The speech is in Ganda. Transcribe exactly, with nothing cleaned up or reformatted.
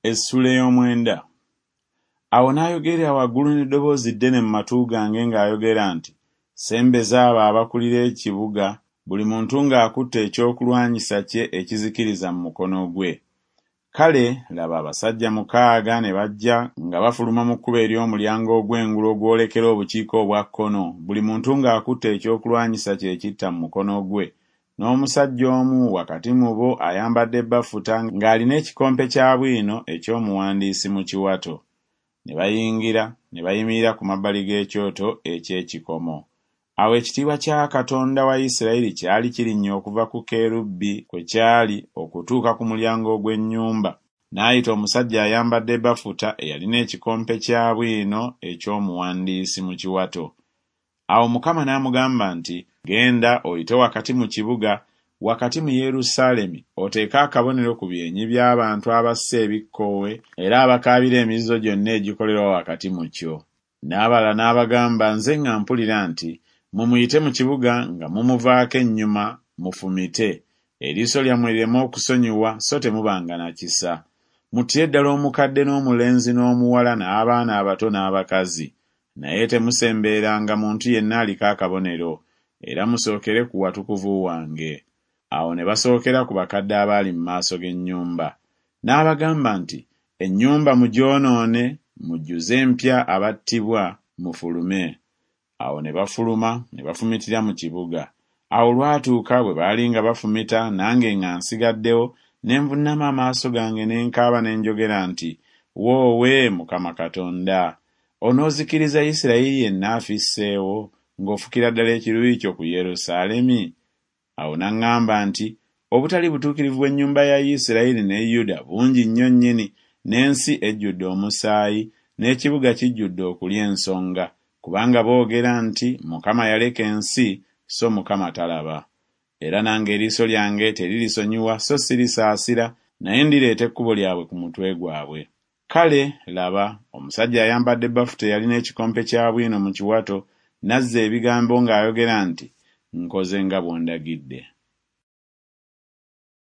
Essula ey'omwenda. Awo n'ayogerera waggulu n'eddoboozi ddene mu matu gange ng'ayogera nti, Sembeza abo abakulira ekibuga, buli muntu ng'akutte ekyokulwanyisa kye ekizikiriza mu mukono gwe. Kale laba abasajja mukaaga ne bajja nga bafuluma mu kkubo ery'omulyango ogw'engulu ogwolekera obukiika obwa kkono, buli muntu ng'akutte ekyokulwanyisa kye ekitta mu mukono gwe, n'omusajja omu wakati mu bo ayambadde bafuta ng'alina ekikompe kya bwino eky'omuwandiisi mu kiwato. Ne bayingira ne bayimirira ku mabbali g'ekyoto eky'ekikomo. Awo ekitiibwa kya Katonda wa Isirayiri kyali kirinnya okuva ku kerubi kwe kyali okutuuka ku mulyango ogw'ennyumba, n'ayita omusajja ayambadde bafuta eyalina ekikompe kya bwino eky'omuwandiisi mu kiwato. Awo Mukama n'amugamba nti, Genda oyite wakati mu kibuga, wakati mu Yerusaalemi, oteeke akabonero ku byenyi by'abantu abassa ebikkoowe era abakaabira emizizo gyonna egikolerwa wakati mu kyo. N'abalala n'abagamba nze nga mpulira nti, Mmwe muyite mu kibuga nga mumuvaako ennyuma, mufumite, eriiso lyammwe lireme okusonyiwa so temubanga na kisa. Muttire ddala omukadde n'omulenzi n'omuwala n'abaana abato n'abakazi. Naye temusembereranga muntu yenna aliko akabonero, era musookere ku watukuvu wange. Awo ne basookera ku bakadde abaali mu maaso g'ennyumba. N'abagamba nti, Ennyumba mugyonoone, mujjuze empya abattibwa, mufulume. Awo ne bafuluma ne bafumitira mu kibuga. Awo olwatuuka bwe baali nga bafumita nange nga nsigaddewo, ne nvuunama amaaso gange ne nkaaba ne njogera nti, Woowe, Mukama Katonda! Onoozikiriza Isirayiri yenna afisseewo, ng'ofukira ddala ekiruyi kyo ku Yerusaalemi? Awo n'aŋŋamba nti, Obutali butuukirivu bw'ennyumba ya Isirayiri ne Yuda bungi nnyo nnyini, n'ensi ejjudde omusaayi, n'ekibuga kijjudde okulya ensonga, kubanga boogera nti, Mukama yaleka ensi, so Mukama talaba. Era nange eriiso lyange teririsonyiwa so sirisaasira, naye ndireeta ekkubo lyabwe ku mutwe gwabwe. Kale, laba, omusajja ayambadde bafuta eyalina ekikompe kya bwino mu kiwato, n'azza ebigambo ng'ayogera nti, Nkoze nga bw'ondagidde.